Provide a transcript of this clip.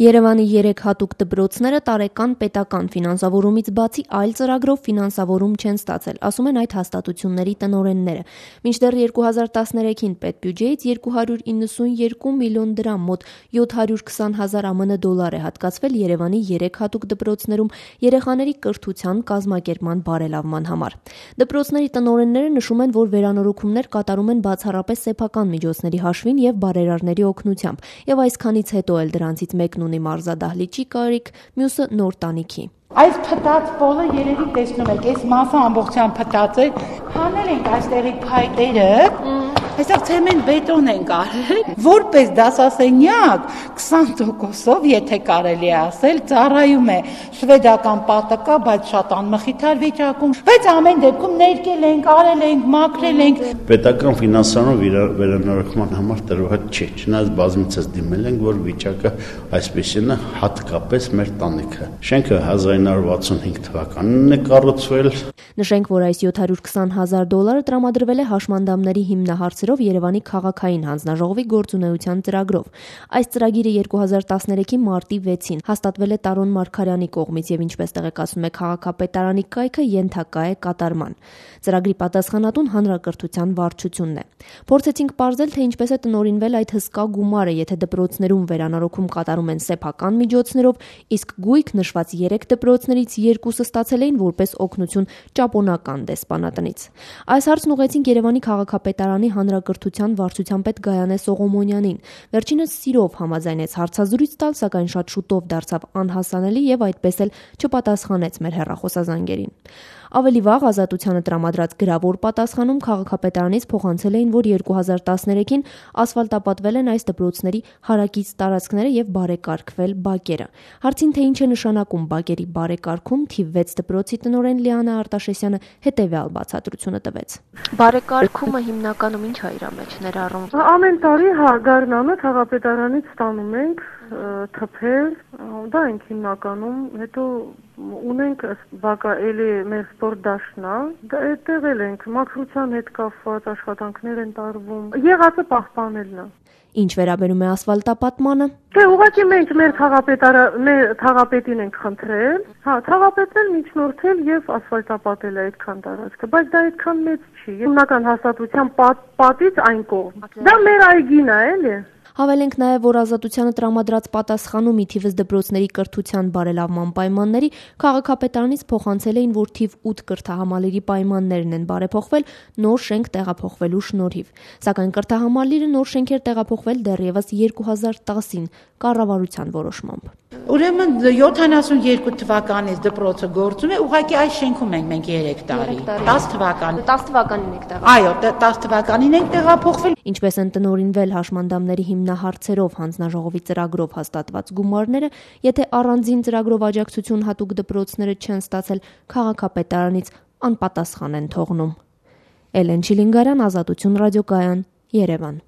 Երևանի 3 հատուկ դպրոցները տարեկան պետական ֆինանսավորումից բացի այլ ծրագրով ֆինանսավորում չեն ստացել, ասում են այդ հաստատությունների տնօրենները։ Մինչդեռ 2013-ին պետբյուջեից 292 միլիոն դրամ մոտ 720,000 ԱՄՆ դոլար է հատկացվել Երևանի 3 հատուկ դպրոցներում երեխաների կրթության կազմակերպման բարելավման համար։ Դպրոցների տնօրենները նշում են, որ վերանորոգումներ կատարում են բացառապես սեփական միջոցների հաշվին եւ բարերարների օգնությամբ, եւ այսքանից հետո էլ դրանցից մեկն ունի մարզադահլիճի կարիք, մյուսը նոր տանիքի։ Այս փտած պոլը երևի տեսնում եք, այս մասը ամբողջությամբ փտած է, հանել ենք այստեղի փայտերը, այստեղ ցեմենտ բետոն ենք արել, որպես դասասենյակ 20%-ով, եթե կարելի է ասել, ծառայում է շվեդական պատկա, բայց շատ անմխիթար վիճակում, բայց ամեն դեպքում ներկել ենք, արել ենք, մաքրել ենք։ Պետական ֆինանսավորում վերանորոգման համար տրված չէ, չնայած բազմիցս դիմել ենք, որ վիճակը այսպեսին է, հատկապես մեր տանիքը։ Շենքը 1965 թվականին է կառուցվել։ Նշենք, որ այս 720,000 դոլարը տրամադրվել է հաշմանդամների հիմնահարցերով Երևանի քաղաքային հանձնաժողովի գործունեության ծրագրով։ Այս ծրագիրը 2013-ի մարտի 6-ին հաստատվել է Տարոն Մարգարյանի կողմից եւ ինչպես տեղեկացնում է քաղաքապետարանի կայքը, ենթակա է կատարման։ Ծրագրի պատասխանատուն հանրակրթության վարչությունն է։ Փորձեցինք պարզել, թե ինչպես է տնօրինվել այդ հսկա գումարը, եթե դպրոցներում վերանորոգում կատարում են սեփական միջոցներով, իսկ գույք նշված 3 դպրոցներից 2-ը ստացել էին որպես օգնություն ճապոնական դեսպանատնից։ Այս հարցն ուղղեցինք Երևանի քաղաքապետարանի հանրակրթության վարչության պետ Գայանե Սողոմոնյանին։ Վերջինս սիրով համաձայնեց հարցազրույց տալ, սակայն շատ շուտով դարձավ անհասանելի եւ այդպես էլ չպատասխանեց մեր հեռախոսազանգերին։ Ավելի վաղ Ազատությանը տրամադրած գրավոր պատասխանում քաղաքապետարանից փոխանցել էին, որ 2013-ին ասֆալտապատվել են այս դպրոցների հարակից տարածքները եւ բարեկարգվել բակերը։ Հարցին, թե ինչ է նշանակում բակերի բարեկարգում, թիվ 6 դպրոցի տնօրեն Լիանա Արտաշեսյանը հետեւյալ բացատրությունը տվեց։ Բարեկարգումը հիմնականում ինչ է իր մեջ ներառում։ Ամեն տարի գարնանը քաղաքապետարանից ստանում ենք թփեր, դա ենք հիմնականում, հետո ունենք բակա էլի մեր սպորտ դաշտն է, դա այդտեղ էլ ենք, մաքրության հետ կապված աշխատանքներ են տարվում, եղածը պահպանելն է։ Ինչ վերաբերում է ասֆալտապատմանը, թե ուղղակի մենք մեր քաղաքապետին ենք խնդրել, քաղաքապետն էլ միջնորդել եւ ասֆալտապատել է այդքան տարածքը, բայց դա այդքան մեծ չի։ Հիմնական հաստատության պատից այն կողմ։ Դա մեր այգին է, էլի։ Հավելենք նաև, որ Ազատությանը տրամադրած պատասխանում ի թիվս դպրոցների կրթության բարելավման պայմանների քաղաքապետարանից փոխանցել էին, որ թիվ 8 կրթահամալիրի պայմաններն են բարեփոխվել նոր շենք տեղափոխվելու շնորհիվ։ Սակայն կրթահամալիրը նոր շենքեր տեղափոխվել դեռևս 2010-ին կառավարության որոշմամբ։ Ուրեմն 72 թվականից դպրոցը գործում է, ուղղակի այս շենքում ենք մենք 3 տարի։ 10 թվականին եք տեղափոխվել։ Այո, 10 թվականին ենք տեղափոխվել։ Ինչպես են տնօրինվել հաշմանդամների հիմնահարցերով հանձնաժողովի ծրագրով հաստատված գումարները, եթե առանձին ծրագրով աջակցություն հատուկ դպրոցները չեն ստացել, քաղաքապետարանից անպատասխան են թողնում։ Էլեն Չիլինգարյան, Ազատություն ռադիոկայան, Երևան։